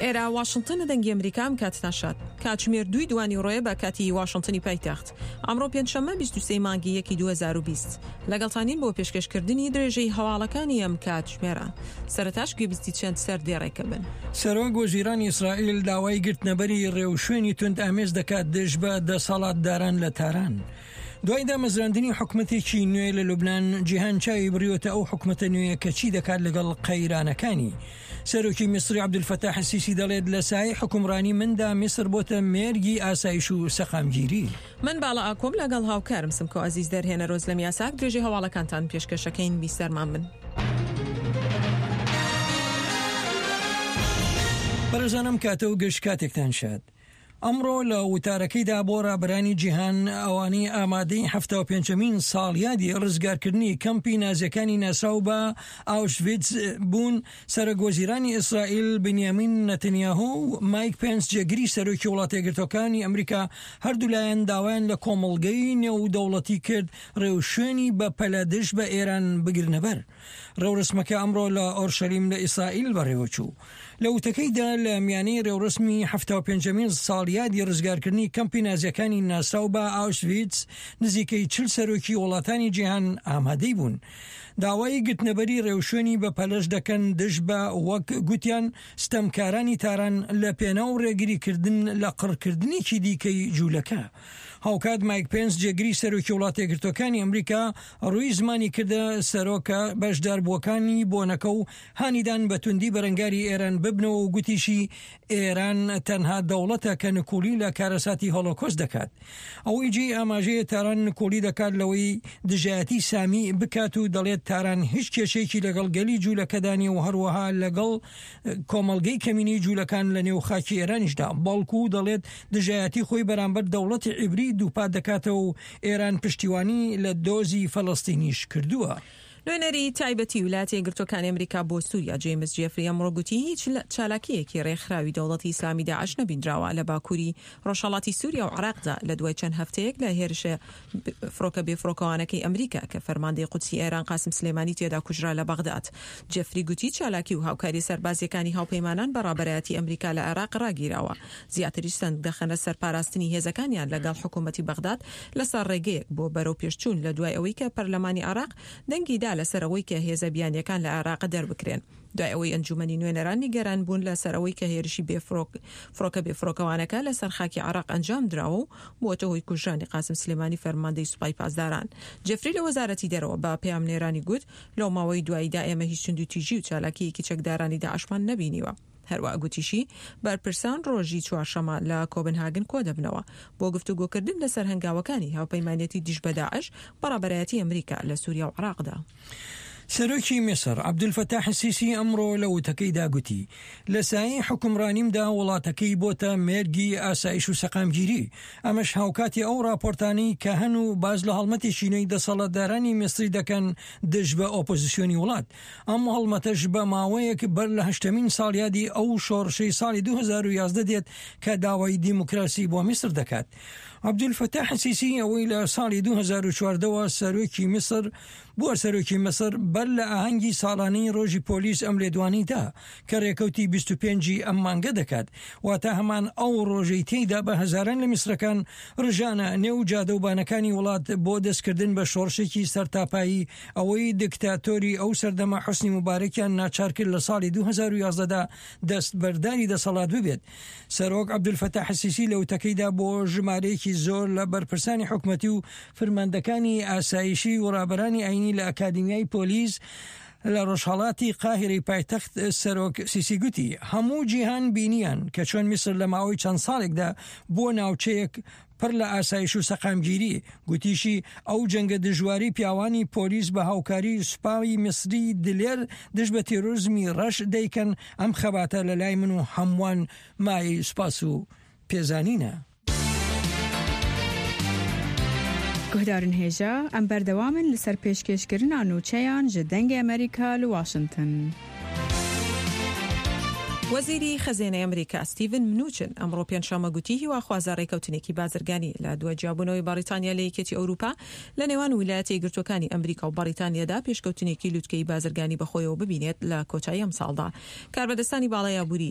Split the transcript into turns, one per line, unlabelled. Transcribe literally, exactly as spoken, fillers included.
ئێرە واشنتنە دەنگی ئەمریکا ئەم کاتتان شاد. کاتژمێر دووی دوانیوڕۆیە بە کاتی واشنتنی پایتەخت. ئەمڕۆ پێنجشەممە بیست و سێ مانگی یەکی دوو هەزار و بیست. لەگەڵتانین بۆ پێشکەشکردنی درێژەی هەواڵەکانی ئەم کاتژمێرە. سەرەتاش گوێبیستی چەند سەردێڕێکە بن.
سەرۆک وەزیرانی ئیسرائیل داوای گرتنەبەری ڕێوشوێنی توندئامێز دەکات دژ بە دەسەڵاتداران لە تاران. دوای دامەزراندنی حکومەتێکی نوێ لە لوبناان، جیهان چاوی بڕیوەتە ئەو حکومەتە نوێیە کە چی دەکات لەگەڵ قەیرانەکانی. سەرۆکی میسری عەبدولفەتاح سیسی دەڵێت لە سایەی حوکمڕانی مندا میسر بۆتە مێرگی ئاسایش و سەقامگیری.
من باڵا ئاکۆم لەگەڵ هاوکارم سمکۆ ئەزیز دەرهێنەر ئۆزلەم یاساک درێژەی هەواڵەکانتان پێشکەشەکەین بیسەرمان بن.
بەڕێزانم کاتە و گشت کاتێکتان شاد. ئەمڕۆ لە وتارەکەیدا بۆ ڕابەرانی جیهان ئەوانەی ئامادەی حەفتا و پێنجەمین ساڵیادی ڕزگارکردنی کەمپی نازیەکانی ناسراو بە ئاوشڤیتز بوون، سەرۆک وەزیرانی ئیسرائیل بنیامین نەتنیاهۆ و مایک پێنس جێگری سەرۆکی وڵاتە یەکگرتووەکانی ئەمریکا هەردوولایان داوایان لە کۆمەڵگەی نێودەوڵەتی کرد ڕێوشوێنی بەپەلە دژ بە ئێران بگرنەبەر. ڕێوڕەسمەکە ئەمڕۆ لە ئۆرشەلیم لە ئیسرائیل بەڕێوەچوو. لە وتەکەیدا لە میانەی ڕێوڕەسمی حەفتا و پێنجەمین ساڵیادی ڕزگارکردنی کەمپی نازیەکانی ناسراو بە ئاوشڤیتز، نزیکەی چل سەرۆکی وڵاتانی جیهان ئامادەی بوون. داوای گرتنەبەری ڕێوشوێنی بەپەلەش دەکەن دژ بە وەک گوتیان ستەمکارانی تاران لە پێناو ڕێگریکردن لە قڕکردنێکی دیکەی جوولەکە. هاوکات مایک پێنس جێگری سەرۆکی وڵاتە یەکگرتووەکانی ئەمریکا ڕووی زمانی کردە سەرۆکە بەشداربووەکانی بۆنەکە و هانیدان بە توندی بەرەنگاری ئێران ببنەوە و گوتیشی ئێران تەنها دەوڵەتە کە نکوڵی لە کارەساتی هۆلۆکۆست دەکات. ئەوەی جێی ئاماژەیە تاران نکوڵی دەکات لەوەی دژایەتی سامی بکات و دەڵێت تاران هیچ کێشەیەکی لەگەڵ گەلی جوولەکەدا نییە و هەروەها لەگەڵ کۆمەڵگەی کەمینەی جوولەکان لە نێو خاکی ئێرانیشدا، بەڵکو دەڵێت دژایەتی خۆی بەرامبەر دەوڵەتی عیبری دووپات دەکاتەوە و ئێران پشتیوانی لە دۆزی فەلەستینیش کردووە.
نوێنەری تایبەتی ویلایەتە یەکگرتووەکانی ئەمریکا بۆ سووریا جەیمس جێفری ئەمڕۆ گوتی هیچ چالاکییەکی رێکخراوی دەوڵەتی ئیسلامی داعش نەبیندراوە لە باکووری ڕۆژهەڵاتی سووریا و عێراقدا لە دوای چەند هەفتەیەک لە هێرشە فڕۆکە بێفڕۆکەوانەکەی ئەمریکا کە فەرماندەی قودسی ئێران قاسم سلێمانی تێدا کوژرا لە بەغداد. جێفری گوتی چالاکی و هاوکارییە سەربازییەکانی هاوپەیمانان بە ڕابەرایەتی ئەمریکا لە عێراق ڕاگیراوە، زیاتریش سەنگ دەخەنە سەر پاراستنی هێزەکانیان لەگەڵ حکوومەتی بەغداد لەسەر ڕێگەیەک بۆ بەرەوپێشچوون لە دوای ئەوەی کە پەرلەمانی عێراق دەنگی دا لەسەر ئەوەی کە هێزە بیانییەکان لە عێراق دەربکرێن دوای ئەوەی ئەنجوومەنی نوێنەران نیگەران بوون لەسەر ئەوەی کە هێرشی فڕۆکە بێفڕۆکەوانەکە لەسەر خاکی عێراق ئەنجام دراوە و بووەتە هۆی کوژرانی قاسم سلێمانی فەرماندەی سوپای پاسداران. جێفری لە وەزارەتی دەرەوە بە پەیامنێرانی گوت، لەو ماوەی دواییدا ئێمە هیچ توندوتیژی و چالاکییەکی چەکدارانی داعشمان نەبینیوە. هەروەها گوتیشی، بەرپرسان ڕۆژی چوارشەممە لە کۆبنهاگن کۆدەبنەوە بۆ گفتوگۆکردن لەسەر هەنگاوەکانی هاوپەیمانێتی دژ بە داعش بە ڕابەرایەتی ئەمریکا لە سووریا و عێراقدا.
سەرۆکی میسر عەبدولفەتاح سیسی ئەمڕۆ لە وتەکەیدا گوتی، لە سایەی حوکمڕانیمدا وڵاتەکەی بۆتە مێرگی ئاسایش و سەقامگیری، ئەمەش هاوکاتی ئەو ڕاپۆرتانەی کە هەن و باس لە هەڵمەتێکی نوێی دەسەڵاتدارانی میسری دەکەن دژ بە ئۆپۆزسیۆنی وڵات. ئەم هەڵمەتەش بە ماوەیەک بەر لە هەشتەمین ساڵیادی ئەو شۆڕشەی ساڵی دوو هەزار و یازدە دێت کە داوای دیموکراسی بۆ میسر دەکات. عەبدولفەتاح سیسی ئەوەی لە ساڵی دوو هەزار و چواردە وە سەرۆکی میسر بووە سەرۆکی میسر بەر لە ئاهەنگی ساڵانەی ڕۆژی پۆلیس ئەم لێدوانەی دا کە ڕێکەوتی بیست و پێنج ی ئەم مانگە دەکات واتە هەمان ئەو ڕۆژەی تێیدا بە هەزاران لە میسرەکان ڕژانە نێو جادە و بانەکانی وڵات بۆ دەستکردن بە شۆڕشێکی سەرتاپایی ئەوەی دکتاتۆری ئەو سەردەمە حوسنی موبارەکیان ناچار کرد لە ساڵی دوو هەزار و یازدە دا دەستبەرداری دەسەڵات ببێت. سەرۆک عەبدولفەتاح سیسی لە وتەکەیدا بۆ ژمارەیەکی زۆر لە بەرپرسانی حکومەتی و فرماندەکانی ئاسایشی و ڕابەرانی ئاینی لە ئەکادیمیای پۆلیس لە ڕۆژهەڵاتی قاهیرەی پایتەخت سەرۆک سیسی گوتی هەموو جیهان بینیان کە چۆن میسر لە ماوەی چەند ساڵێکدا بووە ناوچەیەک پڕ لە ئاسایش و سەقامگیری، گوتیشی ئەو جەنگە دژوارەی پیاوانی پۆلیس بە هاوکاری سوپای میسری دلێر دژ بە تێرۆرزمی ڕەش دەیکەن، ئەم خەباتە لە لای من و هەمووان مایەی سوپاس و پێزانینە.
Guhdarên hêja, em berdewam in li ser pêşkêşkirina nûçeyan ji Dengê Amerîka li Washington.
وەزیری خەزێنەی ئەمریکا ستیڤن منوچن ئەمڕۆ پێنجشەممە گوتی هیواخوازە ڕێکەوتنێکی بازرگانی لە دوای جیابوونەوەی بەڕیتانیا لە یەکێتی ئەوروپا لە نێوان ویلایەتە یەکگرتووەکانی ئەمریکا و بەڕیتانیادا پێشکەوتنێکی لوتکەی بازرگانی بەخۆیەوە ببینێت لە کۆتایی ئەمساڵدا. کاربەدەستانی باڵای ئابووری